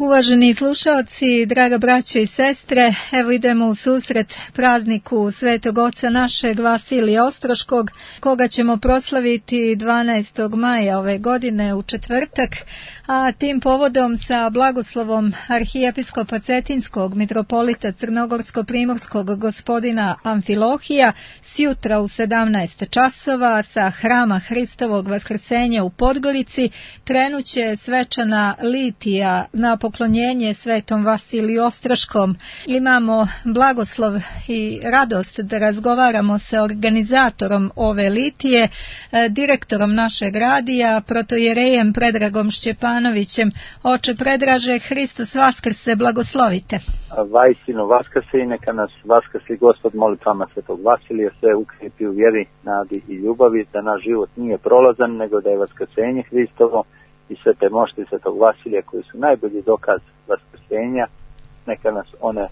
Uvaženi slušaoci, draga braćo i sestre, evo idemo u susret prazniku Svetog Oca našeg Vasilija Ostroškog, koga ćemo proslaviti 12. maja ove godine u četvrtak, a tim povodom sa blagoslovom arhijepiskopa Cetinskog mitropolita Crnogorsko-primorskog gospodina Amfilohija sjutra u 17 časova sa Hrama Hristovog Vaskrsenja u Podgorici krenuće svečana litija na poklonjenje Svetom Vasiliju Ostroškom. Imamo blagoslov i radost da razgovaramo sa organizatorom ove litije, direktorom našeg radija, protojerejem Predragom Šćepanovićem. Oče Predraže, Hristos Vaskrse, blagoslovite. Vajsino Vaskrse i neka nas Vaskrsi Gospod molitvama Svetog Vasilija sve ukrijepi u vjeri, nadi i ljubavi, da naš život nije prolazan, nego da je Vaskrsenje Hristovo i sve te mošti Svetog Vasilija koji su najbolji dokaz vaskrsenja, neka nas one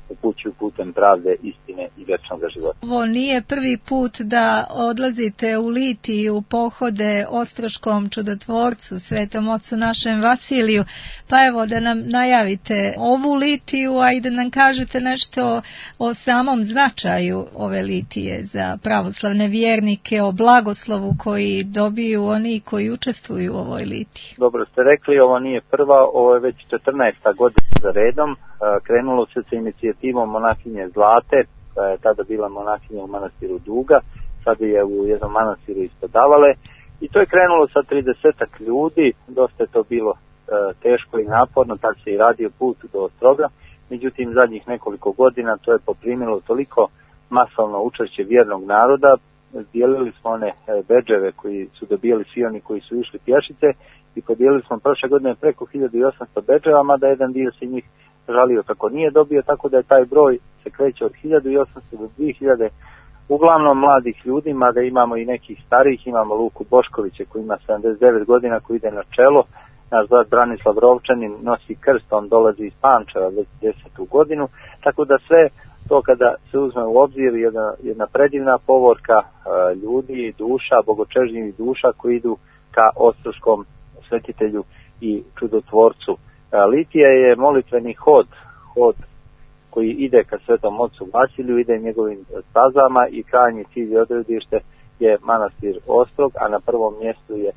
upućuju putem pravde, istine i vječnog života. Ovo nije prvi put da odlazite u litiju, pohode Ostroškom čudotvorcu, Svetom Ocu našem Vasiliju, pa evo da nam najavite ovu litiju, a i da nam kažete nešto o samom značaju ove litije za pravoslavne vjernike, o blagoslovu koji dobiju oni koji učestvuju u ovoj litiji. Dobro ste rekli, ovo nije prva, ovo je već 14. godina za redom. Krenulo se sa inicijativom monahinje Zlate, koja je tada bila monahinja u manastiru Duga, sad je u jednom manastiru ispod Davale, i to je krenulo sa 30 ljudi, dosta je to bilo teško i naporno, tad se i radio put do Ostroga, međutim zadnjih nekoliko godina to je poprimilo toliko masovno učešće vjernog naroda, dijelili smo one bedževe koji su dobijali svi oni koji su išli pješice i podijelili smo prošle godine preko 1800 bedževa, mada jedan dio se njih žalio kako nije dobio, tako da je taj broj se kreće od 1800 do 2000, uglavnom mladih ljudi, mada imamo i nekih starijih, imamo Luku Boškovića koji ima 79 godina, koji ide na čelo, naš brat Branislav Rovčanin nosi krst, on dolazi iz Pančeva već 10. godinu, tako da sve to kada se uzme u obzir jedna predivna povorka ljudi, duša, bogočežnjivih duša koji idu ka Ostroškom svetitelju i čudotvorcu. Litija je molitveni hod koji ide ka Svetom Ocu Vasiliju, ide njegovim stazama i krajnji cilj i odredište je manastir Ostrog, a na prvom mjestu je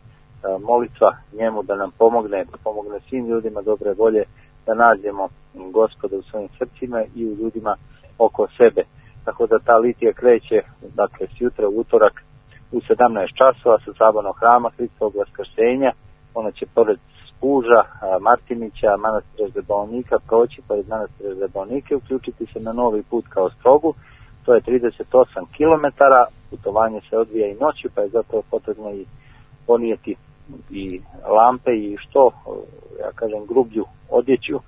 molitva njemu da nam pomogne, da pomogne svim ljudima dobre volje, da nađemo Gospoda u svojim srcima i u ljudima oko sebe. Tako da ta litija kreće, dakle, sjutra u utorak u 17 časova sa sabornog Hrama Hristovog Vaskrsenja. Ona će pored Spuža, Martinića, manastira Zebalnika proći pored manastira Zebalnike, uključiti se na novi put ka Ostrogu. To je 38 km, putovanje se odvija i noću, pa je zato potrebno i ponijeti i lampe i što, ja kažem, grublju odjeću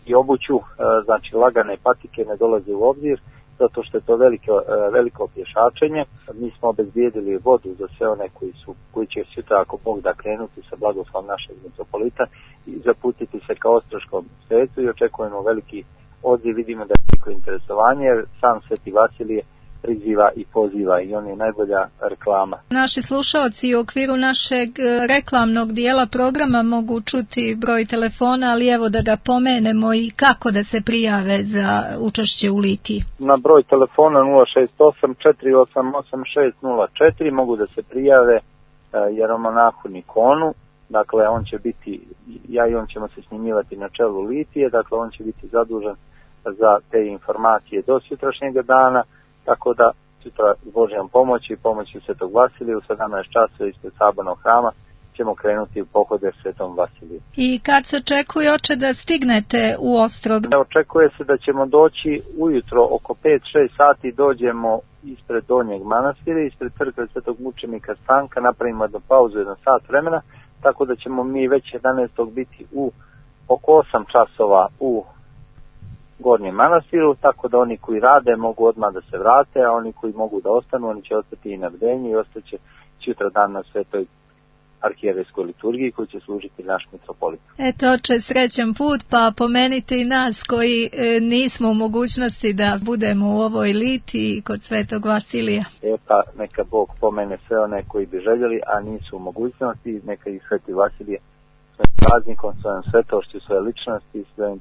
i obuću, znači lagane patike ne dolaze u obzir, zato što je to veliko pješačenje. Mi smo obezbijedili vodu za sve one koji će sutra, ako Bog da, krenuti sa blagoslovom našeg mitropolita i zaputiti se ka Ostroškom svetu i očekujemo veliki odziv, vidimo da je veliko interesovanje, jer sam Sveti Vasilije priziva i poziva i on je najbolja reklama. Naši slušaoci u okviru našeg reklamnog dijela programa mogu čuti broj telefona, ali evo da ga pomenemo i kako da se prijave za učešće u litiji. Na broj telefona 068-488-604 mogu da se prijave jeromonahu Nikonu, dakle on će biti, ja i on ćemo se snimivati na čelu litije, dakle on će biti zadužen za te informacije do sutrašnjeg dana, tako da sutra s Božjom pomoći i pomoći Svetog Vasilija u 17 časova ispred sabornog hrama ćemo krenuti u pohode Svetom Vasiliju. I kad se očekuje, oče, da stignete u Ostrog? Očekuje se da ćemo doći ujutro oko 5-6 sati, dođemo ispred Donjeg manastira, ispred crkve Svetog mučenika Stanka, napravimo jednu pauzu, 1 sat vremena, tako da ćemo mi već 11. biti oko 8 časova u Gornjem manastiru, tako da oni koji rade mogu odmah da se vrate, a oni koji mogu da ostanu, oni će ostati i na bdenju i ostaće sutra dan na svetoj arhijerejskoj liturgiji koji će služiti naš mitropolit. Eto, oče, srećan put, pa pomenite i nas koji nismo u mogućnosti da budemo u ovoj litiji kod Svetog Vasilija. Pa neka Bog pomene sve one koji bi željeli, a nisu u mogućnosti, neka ih Sveti Vasilije svojim praznikom, svojom svetošću, svoje ličnosti, svojim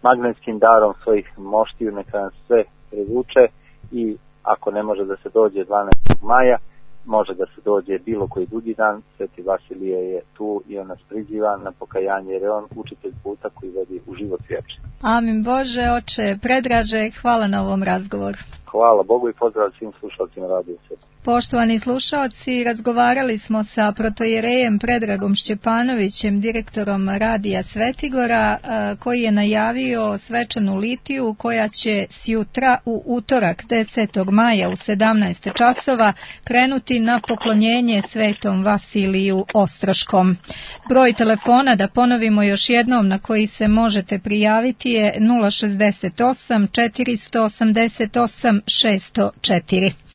magnetskim darom svojih moštiju, neka nas sve privuče i ako ne može da se dođe 12. maja, može da se dođe bilo koji drugi dan. Sveti Vasilije je tu i on nas priziva na pokajanje, jer je on učitelj puta koji vodi u život vječni. Amin Bože, oče Predraže, hvala na ovom razgovoru. Hvala Bogu i pozdrav svim slušalcima Radio Svet. Poštovani slušalci, razgovarali smo sa protojerejem Predragom Šćepanovićem, direktorom Radija Svetigora, koji je najavio svečanu litiju koja će sjutra u utorak 10. maja u 17 časova krenuti na poklonjenje Svetom Vasiliju Ostroškom. Broj telefona, da ponovimo još jednom, na koji se možete prijaviti je 068 488 604.